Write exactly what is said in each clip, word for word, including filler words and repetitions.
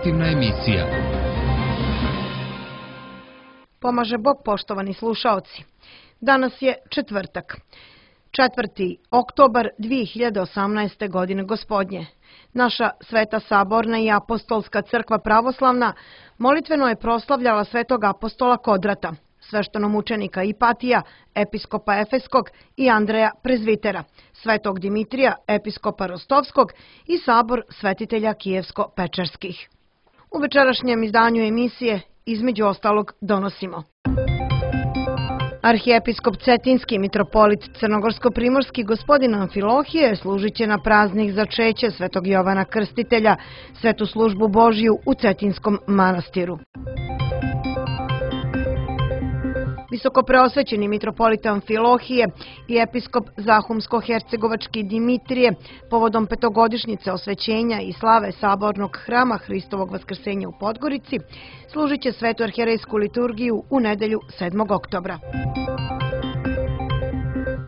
informativna emisija. Pomaže Bog, poštovani slušaoci. Danas je četvrtak, četvrti oktobar dvije hiljade osamnaeste. godine gospodnje. Naša Sveta Saborna i Apostolska crkva pravoslavna molitveno je proslavljala svetog apostola Kodrata, sveštenomučenika Ipatija, episkopa Efeskog i Andreja Prezvitera, svetog Dimitrija, episkopa Rostovskog i sabor svetitelja Kijevsko-Pečerskih. U večerašnjem izdanju emisije između ostalog donosimo: Arhijepiskop Cetinski mitropolit Crnogorsko-primorski gospodin Amfilohije služit će na praznik začeće svetog Jovana Krstitelja, svetu službu Božiju u Cetinskom manastiru. Visokopreosvećeni mitropolit Amfilohije i episkop Zahumsko-hercegovački Dimitrije povodom petogodišnjice osvećenja i slave sabornog hrama Hristovog vaskrsenja u Podgorici služit će svetu arhijerejsku liturgiju u nedelju sedmog oktobra.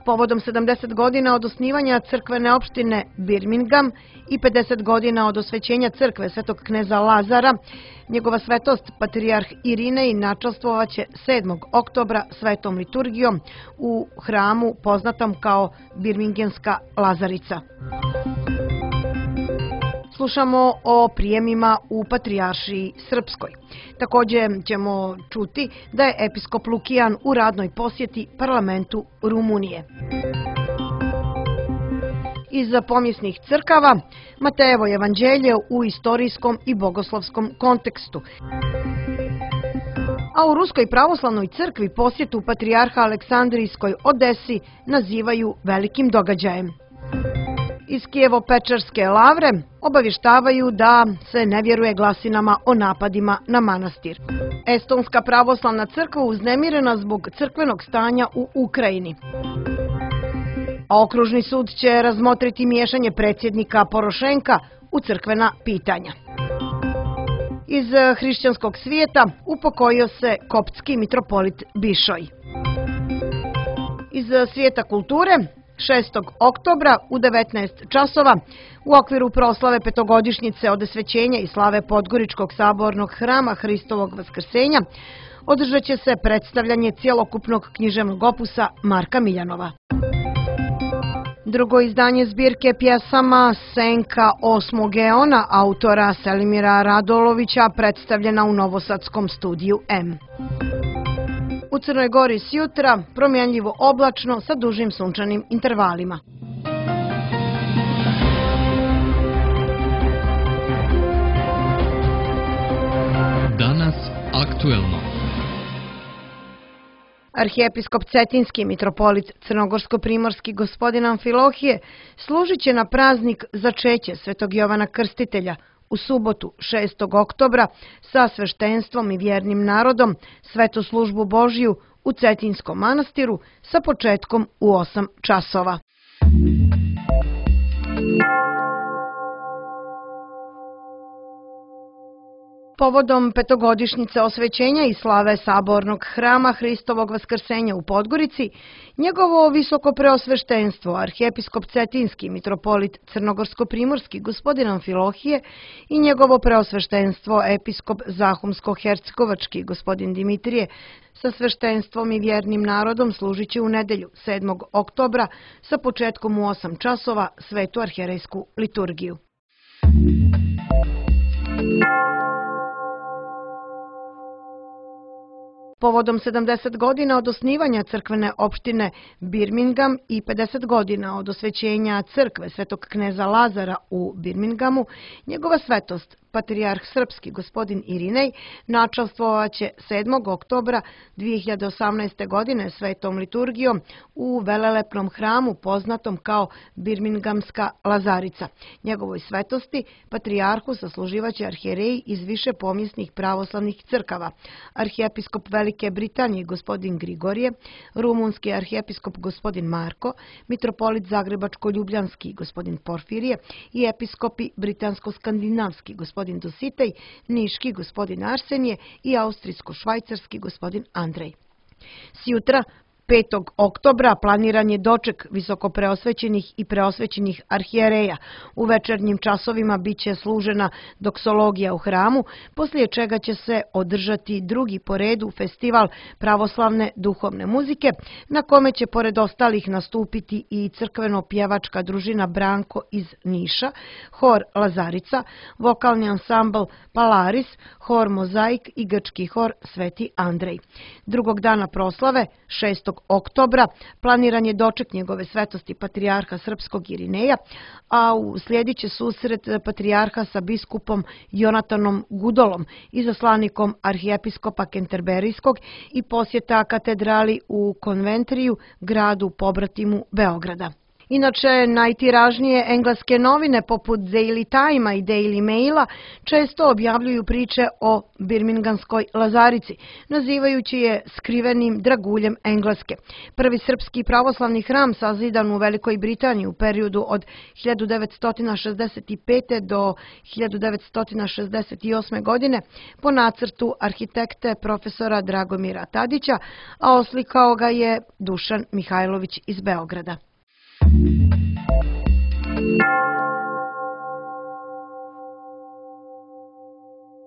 Povodom sedamdeset godina od osnivanja crkvene opštine Birmingham i pedeset godina od osvećenja crkve svetog kneza Lazara, njegova svetost patrijarh Irinej načastvovaće sedmog oktobra svetom liturgijom u hramu poznatom kao Birminghamska Lazarica. Slušamo o prijemima u Patrijaršiji Srpskoj. Također ćemo čuti da je episkop Lukijan u radnoj posjeti parlamentu Rumunije. Iz pomjesnih crkava Matejevo evanđelje u istorijskom i bogoslovskom kontekstu. A u Ruskoj pravoslavnoj crkvi posjetu patrijarha Aleksandrijskoj Odesi nazivaju velikim događajem. Iz Kijevo-Pečerske lavre obavještavaju da se ne vjeruje glasinama o napadima na manastir. Estonska pravoslavna crkva uznemirena zbog crkvenog stanja u Ukrajini. A okružni sud će razmotriti miješanje predsjednika Porošenka u crkvena pitanja. Iz hrišćanskog svijeta upokojio se koptski mitropolit Bišoj. Iz svijeta kulture šestog oktobra u devetnaest časova u okviru proslave petogodišnjice od osvećenja i slave Podgoričkog sabornog hrama Hristovog vaskrsenja održat će se predstavljanje cjelokupnog književnog opusa Marka Miljanova. Drugo izdanje zbirke pjesama Senka osmog eona autora Selimira Radolovića predstavljena u novosadskom studiju M. U Crnoj Gori sjutra promjenljivo oblačno sa dužim sunčanim intervalima. Danas aktuelno. Arhijepiskop Cetinski mitropolit Crnogorsko-primorski gospodin Amfilohije služit će na praznik začeće svetog Jovana Krstitelja u subotu šestog oktobra sa sveštenstvom i vjernim narodom svetu službu Božiju u Cetinskom manastiru sa početkom u osam časova. Povodom petogodišnjice osvećenja i slave sabornog hrama Hristovog vaskrsenja u Podgorici, njegovo visoko preosveštenstvo, arhijepiskop Cetinski mitropolit Crnogorsko-primorski gospodin Amfilohije i njegovo preosveštenstvo episkop Zahumsko-hercegovački gospodin Dimitrije sa sveštenstvom i vjernim narodom služit će u nedelju sedmog oktobra sa početkom u osam časova svetu arhijerejsku liturgiju. Povodom sedamdeset godina od osnivanja crkvene opštine Birmingham i pedeset godina od osvećenja crkve svetog kneza Lazara u Birminghamu, njegova svetost, patrijarh srpski gospodin Irinej, načastvovaće sedmog oktobra dvije hiljade osamnaeste. godine svetom liturgijom u velelepnom hramu poznatom kao Birminghamska Lazarica. Njegovoj svetosti, patrijarhu, sasluživaće arhijereji iz više pomjesnih pravoslavnih crkava: arhijepiskop Velike Britanije gospodin Grigorije, rumunski arhijepiskop gospodin Marko, mitropolit Zagrebačko-ljubljanski gospodin Porfirije i episkopi britansko-skandinavski gospodin Dositej, niški gospodin Arsenije i austrijsko-švajcarski gospodin Andrej. Sjutra petog oktobra planiran je doček visokopreosvećenih i preosvećenih arhijereja. U večernjim časovima biće služena doksologija u hramu, poslije čega će se održati drugi po redu festival pravoslavne duhovne muzike, na kome će pored ostalih nastupiti i crkveno-pjevačka družina Branko iz Niša, hor Lazarica, vokalni ansambl Palaris, hor Mozaik i grčki hor Sveti Andrej. Drugog dana proslave, šestog oktobra, planiran je doček njegove svetosti patrijarha srpskog Irineja, a uslijedit će susret patrijarha sa biskupom Jonatanom Gudolom, izaslanikom arhijepiskopa Kenterberijskog i posjeta katedrali u Konventriju, gradu pobratimu Beograda. Inače, najtiražnije engleske novine poput Daily Time-a i Daily Maila često objavljuju priče o birmingamskoj Lazarici, nazivajući je skrivenim draguljem Engleske. Prvi srpski pravoslavni hram sazidan u Velikoj Britaniji u periodu od hiljadu devetsto šezdeset pete. do hiljadu devetsto šezdeset osme. godine po nacrtu arhitekte profesora Dragomira Tadića, a oslikao ga je Dušan Mihajlović iz Beograda.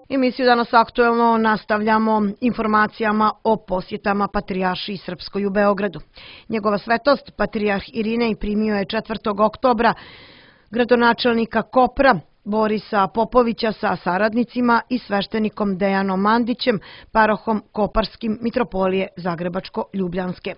Emisiju Danas aktuelno nastavljamo informacijama o posjetama patrijaršiji srpskoj u Beogradu. Njegova svetost, patrijarh Irinej, primio je četvrtog oktobra gradonačelnika Kopra, Borisa Popovića sa saradnicima i sveštenikom Dejanom Mandićem, parohom Koparskim mitropolije Zagrebačko-Ljubljanske.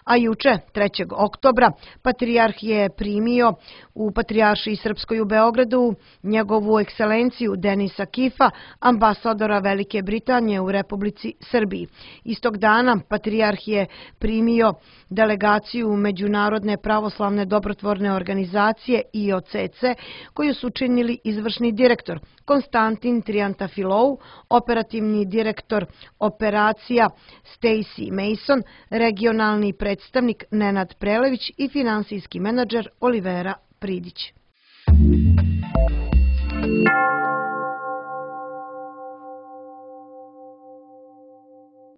A juče, trećeg oktobra, patrijarh je primio u Patrijaršiji srpskoj u Beogradu njegovu ekscelenciju Denisa Kifa, ambasadora Velike Britanije u Republici Srbiji. Istog dana patrijarh je primio delegaciju Međunarodne pravoslavne dobrotvorne organizacije I O C C, koju su činili izvršni direktor Konstantin Triantafilou, operativni direktor operacija Stacy Mason, regionalni predstavnik Nenad Prelević i finansijski menadžer Olivera Pridić.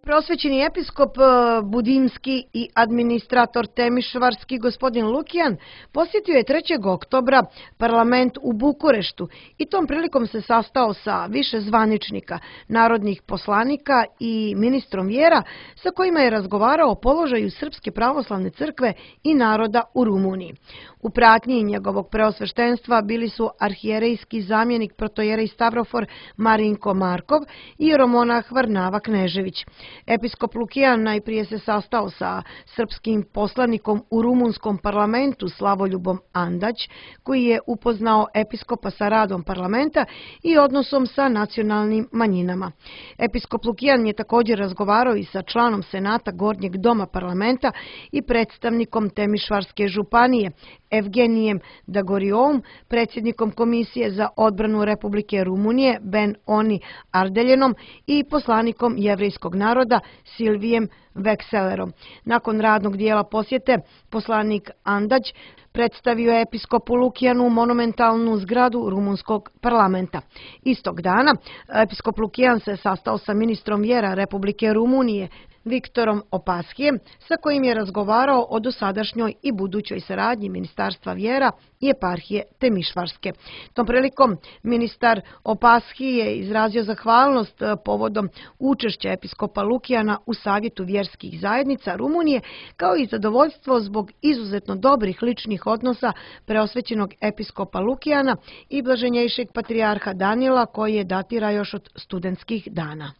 Prosvećeni episkop Budimski i administrator Temišvarski gospodin Lukijan posjetio je trećeg oktobra parlament u Bukureštu i tom prilikom se sastao sa više zvaničnika, narodnih poslanika i ministrom vjera sa kojima je razgovarao o položaju Srpske pravoslavne crkve i naroda u Rumuniji. U pratnji njegovog preosveštenstva bili su arhijerejski zamjenik protojerej Stavrofor Marinko Markov i jeromonah Varnava Knežević. Episkop Lukijan najprije se sastao sa srpskim poslanikom u rumunskom parlamentu Slavoljubom Andać, koji je upoznao episkopa sa radom parlamenta i odnosom sa nacionalnim manjinama. Episkop Lukijan je također razgovarao i sa članom senata Gornjeg doma parlamenta i predstavnikom Temišvarske županije Evgenijem Dagoriovom, predsjednikom Komisije za odbranu Republike Rumunije Ben Oni Ardeljenom i poslanikom jevrejskog naroda Silvijem Vekselerom. Nakon radnog dijela posjete, poslanik Andać predstavio je episkopu Lukijanu monumentalnu zgradu rumunskog parlamenta. Istog dana episkop Lukijan se sastao sa ministrom vjera Republike Rumunije Viktorom Opashijem, sa kojim je razgovarao o dosadašnjoj i budućoj saradnji Ministarstva vjera i eparhije Temišvarske. Tom prilikom ministar Opashij je izrazio zahvalnost povodom učešća episkopa Lukijana u Savjetu vjerskih zajednica Rumunije, kao i zadovoljstvo zbog izuzetno dobrih ličnih odnosa preosvećenog episkopa Lukijana i blaženjejšeg patrijarha Danila, koji je datira još od studentskih dana.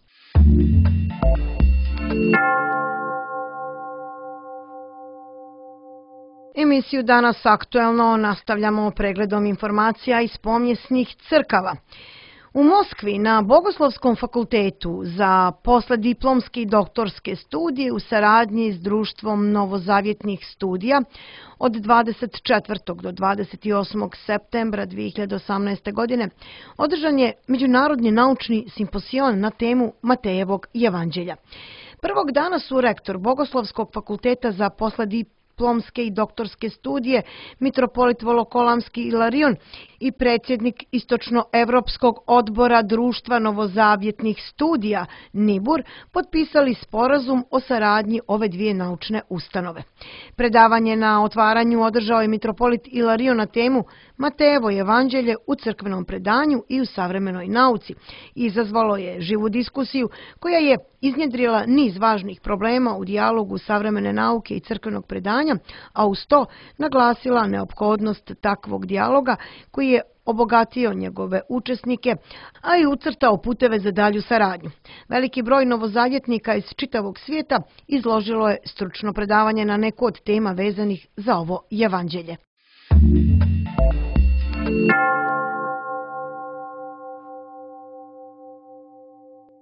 Emisiju Danas aktuelno nastavljamo pregledom informacija iz pomjesnih crkava. U Moskvi na Bogoslovskom fakultetu za poslijediplomske i doktorske studije u saradnji s Društvom novozavjetnih studija od dvadeset četvrtog do dvadeset osmog septembra dvije hiljade osamnaeste. godine održan je Međunarodni naučni simpozion na temu Matejevog evanđelja. Prvog dana su rektor Bogoslovskog fakulteta za poslijediplomske i doktorske studije, mitropolit Volokolamski Ilarion i predsjednik Istočnoevropskog odbora Društva novozavjetnih studija Nibur potpisali sporazum o saradnji ove dvije naučne ustanove. Predavanje na otvaranju održao je mitropolit Ilario na temu Matejevo evanđelje u crkvenom predanju i u savremenoj nauci i izazvalo je živu diskusiju koja je iznjedrila niz važnih problema u dijalogu savremene nauke i crkvenog predanja, a uz to naglasila neophodnost takvog dijaloga koji je obogatio njegove učesnike, a i ucrtao puteve za dalju saradnju. Veliki broj novozavjetnika iz čitavog svijeta izložilo je stručno predavanje na neku od tema vezanih za ovo evanđelje.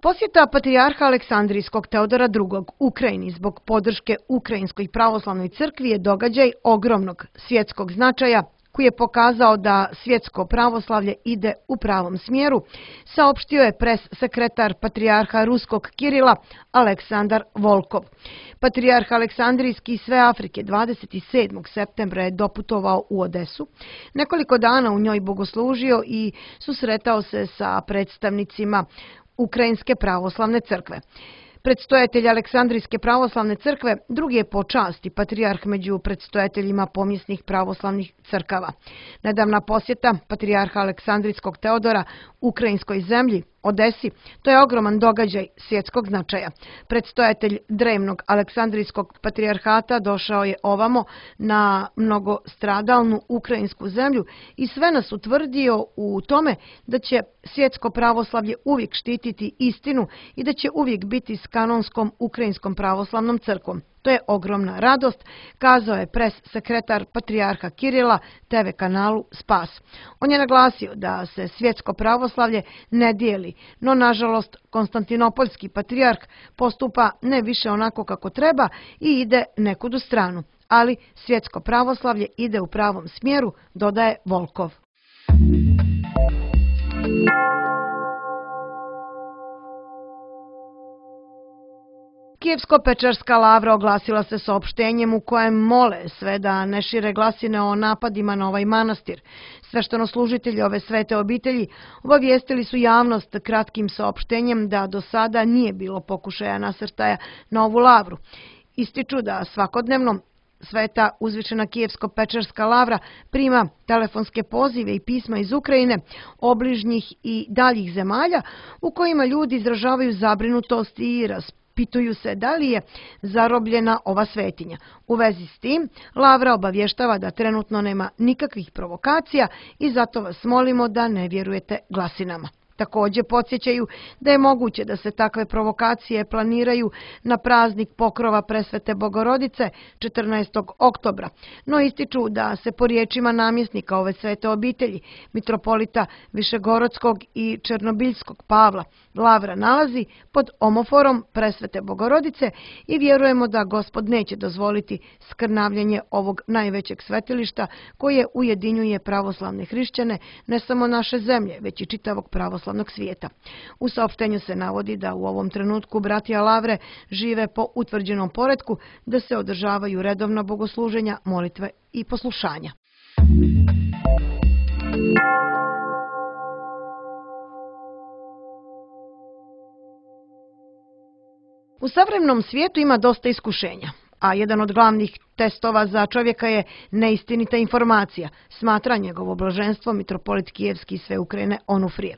Posjeta patrijarha Aleksandrijskog Teodora drugog. Ukrajini zbog podrške Ukrajinskoj pravoslavnoj crkvi je događaj ogromnog svjetskog značaja koji je pokazao da svjetsko pravoslavlje ide u pravom smjeru, saopštio je pres sekretar patrijarha Ruskog Kirila Aleksandar Volkov. Patrijarh Aleksandrijski iz sve Afrike dvadeset sedmog septembra je doputovao u Odesu, nekoliko dana u njoj bogoslužio i susretao se sa predstavnicima Ukrajinske pravoslavne crkve. Predstojatelj Aleksandrijske pravoslavne crkve drugi je po časti patrijarh među predstojateljima pomjesnih pravoslavnih crkava. Nedavna posjeta patrijarha Aleksandrijskog Teodora ukrajinskoj zemlji, Odesi, to je ogroman događaj svjetskog značaja. Predstojatelj drevnog Aleksandrijskog patrijarhata došao je ovamo na mnogostradalnu ukrajinsku zemlju i sve nas utvrdio u tome da će svjetsko pravoslavlje uvijek štititi istinu i da će uvijek biti s kanonskom ukrajinskom pravoslavnom crkvom. To je ogromna radost, kazao je pres sekretar patrijarha Kirila te ve kanalu Spas. On je naglasio da se svjetsko pravoslavlje ne dijeli, no nažalost Konstantinopoljski patrijarh postupa ne više onako kako treba i ide nekud u stranu, ali svjetsko pravoslavlje ide u pravom smjeru, dodaje Volkov. Kijevsko-Pečarska lavra oglasila se saopštenjem u kojem mole sve da ne šire glasine o napadima na ovaj manastir. Sveštenoslужitelji ove svete obitelji obavijestili su javnost kratkim saopštenjem da do sada nije bilo pokušaja nasrtaja na ovu lavru. Ističu da svakodnevno Sveta uzvišena Kijevsko-Pečarska lavra prima telefonske pozive i pisma iz Ukrajine, obližnjih i daljih zemalja u kojima ljudi izražavaju zabrinutost i raspituju se da li je zarobljena ova svetinja. U vezi s tim, lavra obavještava da trenutno nema nikakvih provokacija i zato vas molimo da ne vjerujete glasinama. Također podsjećaju da je moguće da se takve provokacije planiraju na praznik pokrova Presvete Bogorodice četrnaestog oktobra, no ističu da se po riječima namjesnika ove svete obitelji, mitropolita Višegorodskog i Černobiljskog Pavla, lavra nalazi pod omoforom Presvete Bogorodice i vjerujemo da Gospod neće dozvoliti skrnavljenje ovog najvećeg svetilišta koje ujedinjuje pravoslavne hrišćane ne samo naše zemlje, već i čitavog pravoslavnog svijeta. U saopštenju se navodi da u ovom trenutku bratija lavre žive po utvrđenom poretku, da se održavaju redovna bogosluženja, molitve i poslušanja. U savremenom svijetu ima dosta iskušenja, a jedan od glavnih testova za čovjeka je neistinita informacija, smatra njegovo blaženstvo mitropolit Kijevski i sve Ukrajine Onufrije.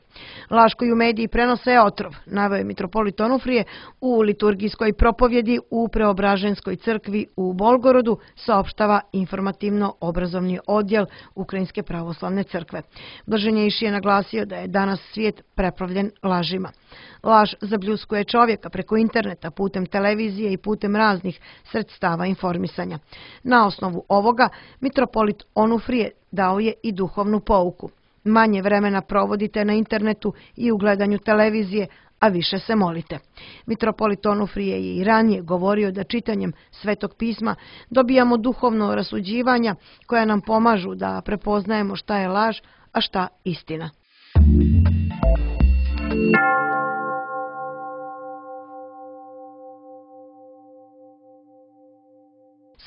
Laž koju mediji prenose je otrov, naveo je mitropolit Onufrije u liturgijskoj propovjedi u Preobraženskoj crkvi u Bolgorodu, saopštava informativno-obrazovni odjel Ukrajinske pravoslavne crkve. Blaženjejši je naglasio da je danas svijet preplavljen lažima. Laž zabljuskuje čovjeka preko interneta, putem televizije i putem raznih sredstava informisanja. Na osnovu ovoga, mitropolit Onufrije dao je i duhovnu pouku. Manje vremena provodite na internetu i u gledanju televizije, a više se molite. Mitropolit Onufrije je i ranije govorio da čitanjem Svetog pisma dobijamo duhovno rasuđivanja koja nam pomažu da prepoznajemo šta je laž, a šta istina.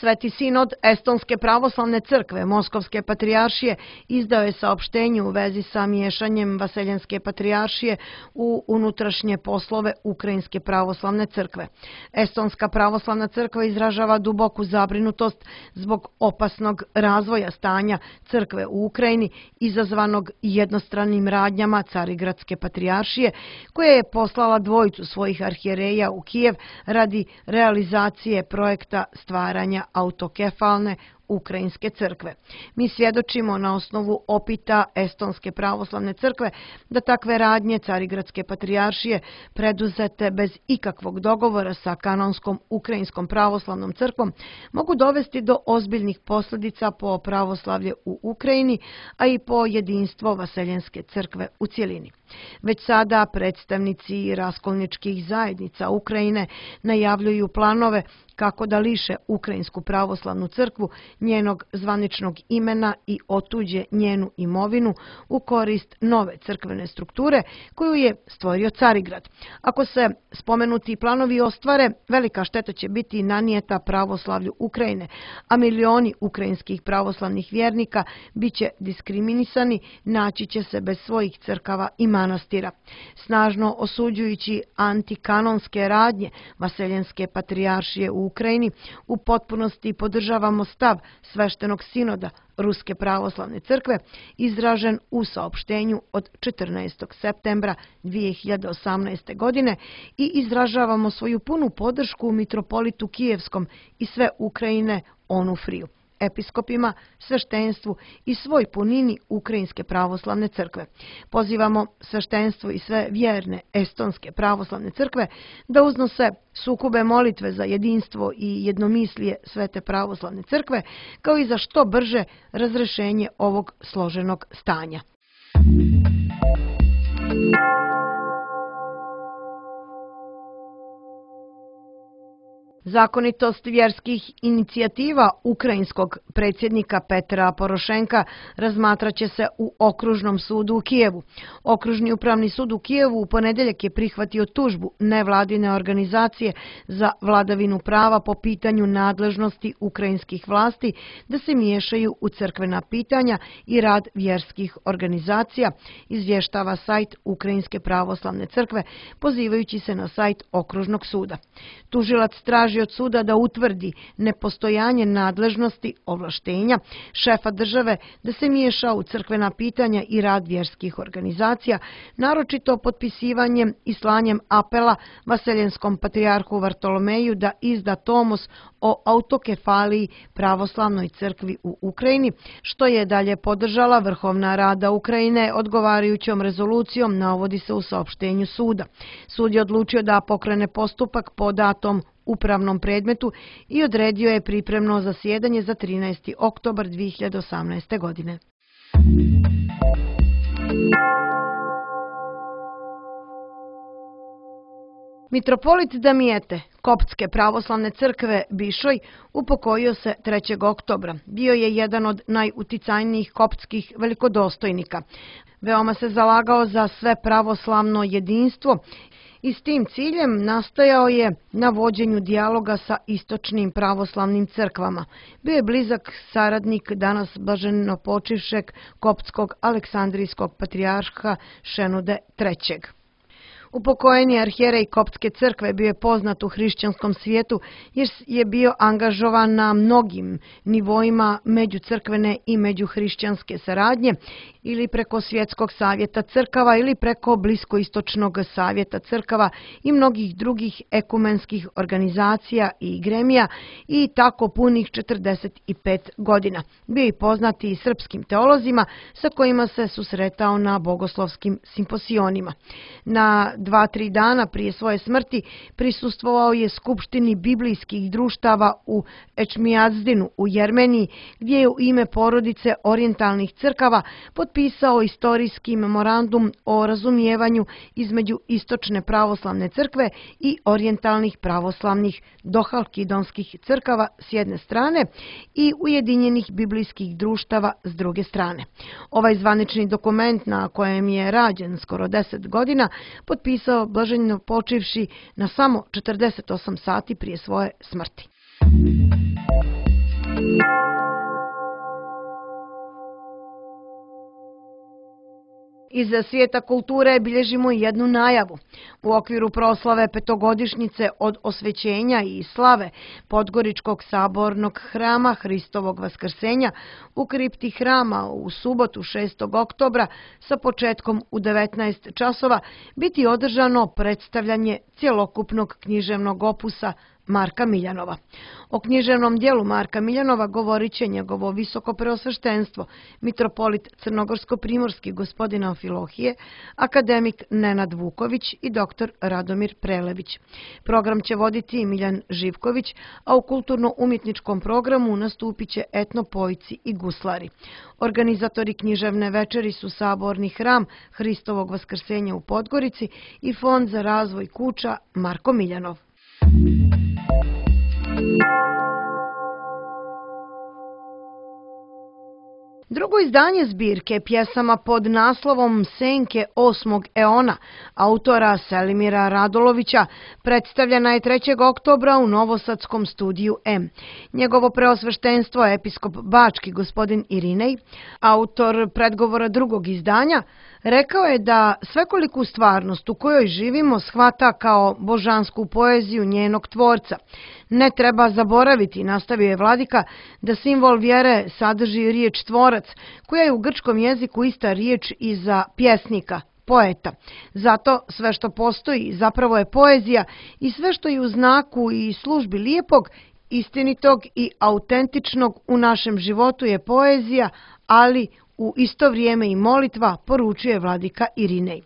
Sveti sinod Estonske pravoslavne crkve Moskovske patrijaršije izdao je saopštenje u vezi sa miješanjem Vaseljenske patrijaršije u unutrašnje poslove Ukrajinske pravoslavne crkve. Estonska pravoslavna crkva izražava duboku zabrinutost zbog opasnog razvoja stanja crkve u Ukrajini izazvanog jednostranim radnjama Carigradske patrijaršije, koja je poslala dvojicu svojih arhijereja u Kijev radi realizacije projekta stvaranja autokefalne Ukrajinske crkve. Mi svjedočimo na osnovu opita Estonske pravoslavne crkve da takve radnje Carigradske patrijaršije preduzete bez ikakvog dogovora sa kanonskom Ukrajinskom pravoslavnom crkvom mogu dovesti do ozbiljnih posljedica po pravoslavlje u Ukrajini, a i po jedinstvo Vaseljenske crkve u cjelini. Već sada predstavnici raskolničkih zajednica Ukrajine najavljuju planove kako da liše Ukrajinsku pravoslavnu crkvu njenog zvaničnog imena i otuđe njenu imovinu u korist nove crkvene strukture koju je stvorio Carigrad. Ako se spomenuti planovi ostvare, velika šteta će biti nanijeta pravoslavlju Ukrajine, a milioni ukrajinskih pravoslavnih vjernika bit će diskriminisani, naći će se bez svojih crkava i manastira. Snažno osuđujući antikanonske radnje Vaseljenske patrijaršije u Ukrajini, u potpunosti podržavamo stav sveštenog sinoda Ruske pravoslavne crkve izražen u saopštenju od četrnaestog septembra dvije hiljade osamnaeste. godine i izražavamo svoju punu podršku mitropolitu Kijevskom i sve Ukrajine Onufriju, episkopima, sveštenstvu i svoj punini Ukrajinske pravoslavne crkve. Pozivamo sveštenstvo i sve vjerne Estonske pravoslavne crkve da uznose sukube molitve za jedinstvo i jednomislije Svete pravoslavne crkve, kao i za što brže razrešenje ovog složenog stanja. Zakonitost vjerskih inicijativa ukrajinskog predsjednika Petra Porošenka razmatraće se u Okružnom sudu u Kijevu. Okružni upravni sud u Kijevu u ponedjeljak je prihvatio tužbu nevladine organizacije za vladavinu prava po pitanju nadležnosti ukrajinskih vlasti da se miješaju u crkvena pitanja i rad vjerskih organizacija, izvještava sajt Ukrajinske pravoslavne crkve, pozivajući se na sajt Okružnog suda. Tužilac traži od suda da utvrdi nepostojanje nadležnosti ovlaštenja šefa države da se miješa u crkvena pitanja i rad vjerskih organizacija, naročito potpisivanjem i slanjem apela Vaseljenskom patrijarhu Vartolomeju da izda tomos o autokefaliji pravoslavnoj crkvi u Ukrajini, što je dalje podržala Vrhovna rada Ukrajine odgovarajućom rezolucijom, navodi se u saopštenju suda. Sud je odlučio da pokrene postupak po datom upravnom predmetu i odredio je pripremno zasjedanje za trinaesti oktobar dvije hiljade osamnaeste. godine. Mitropolit Damijete Koptske pravoslavne crkve Bišoj upokojio se trećeg oktobra. Bio je jedan od najuticajnijih koptskih velikodostojnika. Veoma se zalagao za sve pravoslavno jedinstvo i s tim ciljem nastojao je na vođenju dijaloga sa istočnim pravoslavnim crkvama. Bio je blizak saradnik danas blaženopočivšeg koptskog aleksandrijskog patrijarha Šenude trećeg. Upokojeni arhijerej Koptske crkve bio je poznat u hrišćanskom svijetu jer je bio angažovan na mnogim nivoima međucrkvene i međuhrišćanske saradnje ili preko Svjetskog savjeta crkava ili preko Bliskoistočnog savjeta crkava i mnogih drugih ekumenskih organizacija i gremija i tako punih četrdeset pet godina. Bio je poznat i srpskim teolozima sa kojima se susretao na bogoslovskim simposionima. Na dva, tri dana prije svoje smrti prisustvovao je skupštini biblijskih društava u Ečmijazdinu u Jermeniji, gdje je u ime porodice orijentalnih crkava potpisao istorijski memorandum o razumijevanju između istočne pravoslavne crkve i orijentalnih pravoslavnih dohalkidonskih crkava s jedne strane i ujedinjenih biblijskih društava s druge strane. Ovaj zvanični dokument, na kojem je rađen skoro deset godina, potpisao blaženo počivši na samo četrdeset osam sati prije svoje smrti. Iz svijeta kulture bilježimo jednu najavu. U okviru proslave petogodišnjice od osvećenja i slave Podgoričkog sabornog hrama Hristovog vaskrsenja u kripti hrama u subotu šestog oktobra sa početkom u devetnaest časova biti održano predstavljanje cjelokupnog književnog opusa Marka Miljanova. O književnom dijelu Marka Miljanova govorit će njegovo visoko preosveštenstvo, mitropolit crnogorsko-primorski gospodin Amfilohije, akademik Nenad Vuković i doktor Radomir Prelević. Program će voditi Miljan Živković, a u kulturno-umjetničkom programu nastupit će etnopojci i guslari. Organizatori književne večeri su Saborni hram Hristovog vaskrsenja u Podgorici i Fond za razvoj kuća Marko Miljanov. Drugo izdanje zbirke pjesama pod naslovom Senke osmog eona autora Selimira Radolovića predstavljena je trećeg oktobra u Novosadskom studiju M. Njegovo preosveštenstvo episkop Bački gospodin Irinej, autor predgovora drugog izdanja, rekao je da svekoliku stvarnost u kojoj živimo shvata kao božansku poeziju njenog tvorca. Ne treba zaboraviti, nastavio je vladika, da simbol vjere sadrži riječ tvorac, koja je u grčkom jeziku ista riječ i za pjesnika, poeta. Zato sve što postoji zapravo je poezija i sve što je u znaku i službi lijepog, istinitog i autentičnog u našem životu je poezija, ali u isto vrijeme i molitva, poručuje vladika Irinej.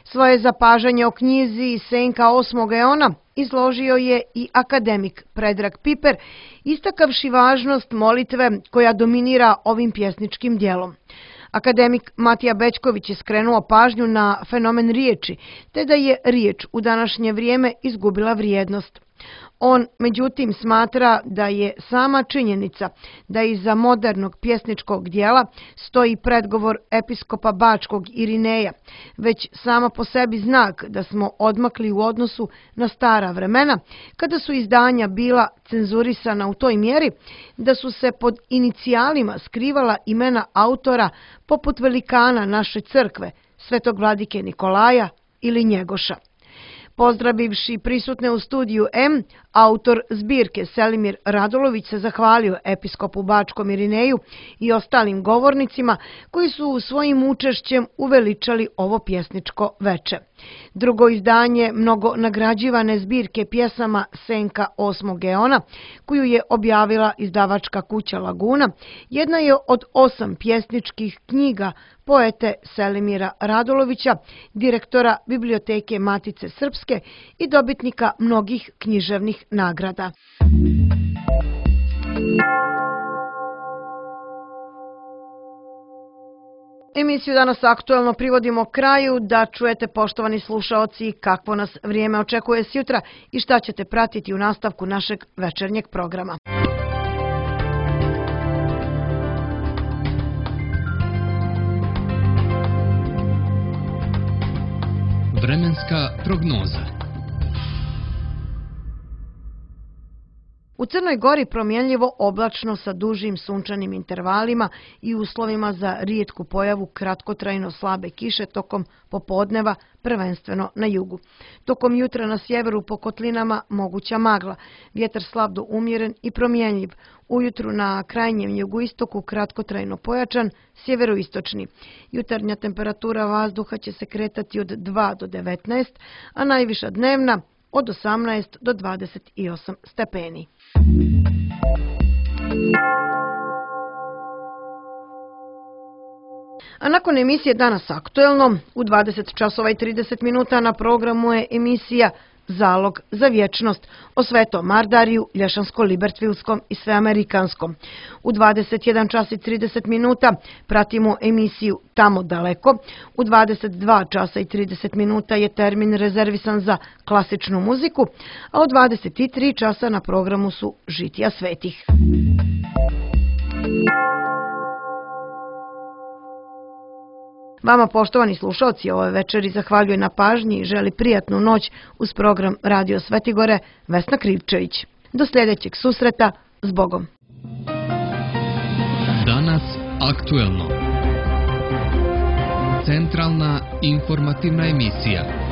Svoje zapažanje o knjizi Senka osmog eona izložio je i akademik Predrag Piper, istakavši važnost molitve koja dominira ovim pjesničkim dijelom. Akademik Matija Bećković je skrenuo pažnju na fenomen riječi, te da je riječ u današnje vrijeme izgubila vrijednost. On, međutim, smatra da je sama činjenica da iza modernog pjesničkog dijela stoji predgovor episkopa Bačkog Irineja, već sama po sebi znak da smo odmakli u odnosu na stara vremena, kada su izdanja bila cenzurisana u toj mjeri da su se pod inicijalima skrivala imena autora poput velikana naše crkve, svetog vladike Nikolaja ili Njegoša. Pozdravivši prisutne u studiju M, autor zbirke Selimir Radolović se zahvalio episkopu Bačkom Irineju i ostalim govornicima koji su svojim učešćem uveličali ovo pjesničko veče. Drugo izdanje mnogo nagrađivane zbirke pjesama Senka osmog eona, koju je objavila izdavačka kuća Laguna, jedna je od osam pjesničkih knjiga poete Selimira Radolovića, direktora Biblioteke Matice Srpske i dobitnika mnogih književnih nagrada. Emisiju Danas aktuelno privodimo kraju, da čujete, poštovani slušaoci, kakvo nas vrijeme očekuje sjutra i šta ćete pratiti u nastavku našeg večernjeg programa. Vremenska prognoza. U Crnoj Gori promjenljivo oblačno sa dužim sunčanim intervalima i uslovima za rijetku pojavu kratkotrajno slabe kiše tokom popodneva, prvenstveno na jugu. Tokom jutra na sjeveru po kotlinama moguća magla, vjetar slab do umjeren i promjenljiv. Ujutru na krajnjem jugoistoku kratkotrajno pojačan, sjeveroistočni. Jutarnja temperatura vazduha će se kretati od dva do devetnaest, a najviša dnevna od osamnaest do dvadeset osam stepeni. A nakon emisije Danas aktuelno, u dvadeset časova i trideset minuta na programu je emisija Zalog za vječnost o Svetom Mardariju, Lješansko-Libertvilskom i Sveamerikanskom. U dvadeset jedan čas i trideset minuta pratimo emisiju Tamo daleko. U dvadeset dva časa i trideset minuta je termin rezervisan za klasičnu muziku, a u dvadeset tri časa na programu su Žitija svetih. Vama, poštovani slušalci, ove večeri zahvaljuje na pažnji i želi prijatnu noć uz program Radio Svetigore Vesna Krivčević. Do sljedećeg susreta, s Bogom! Aktuelno. Centralna informativna emisija.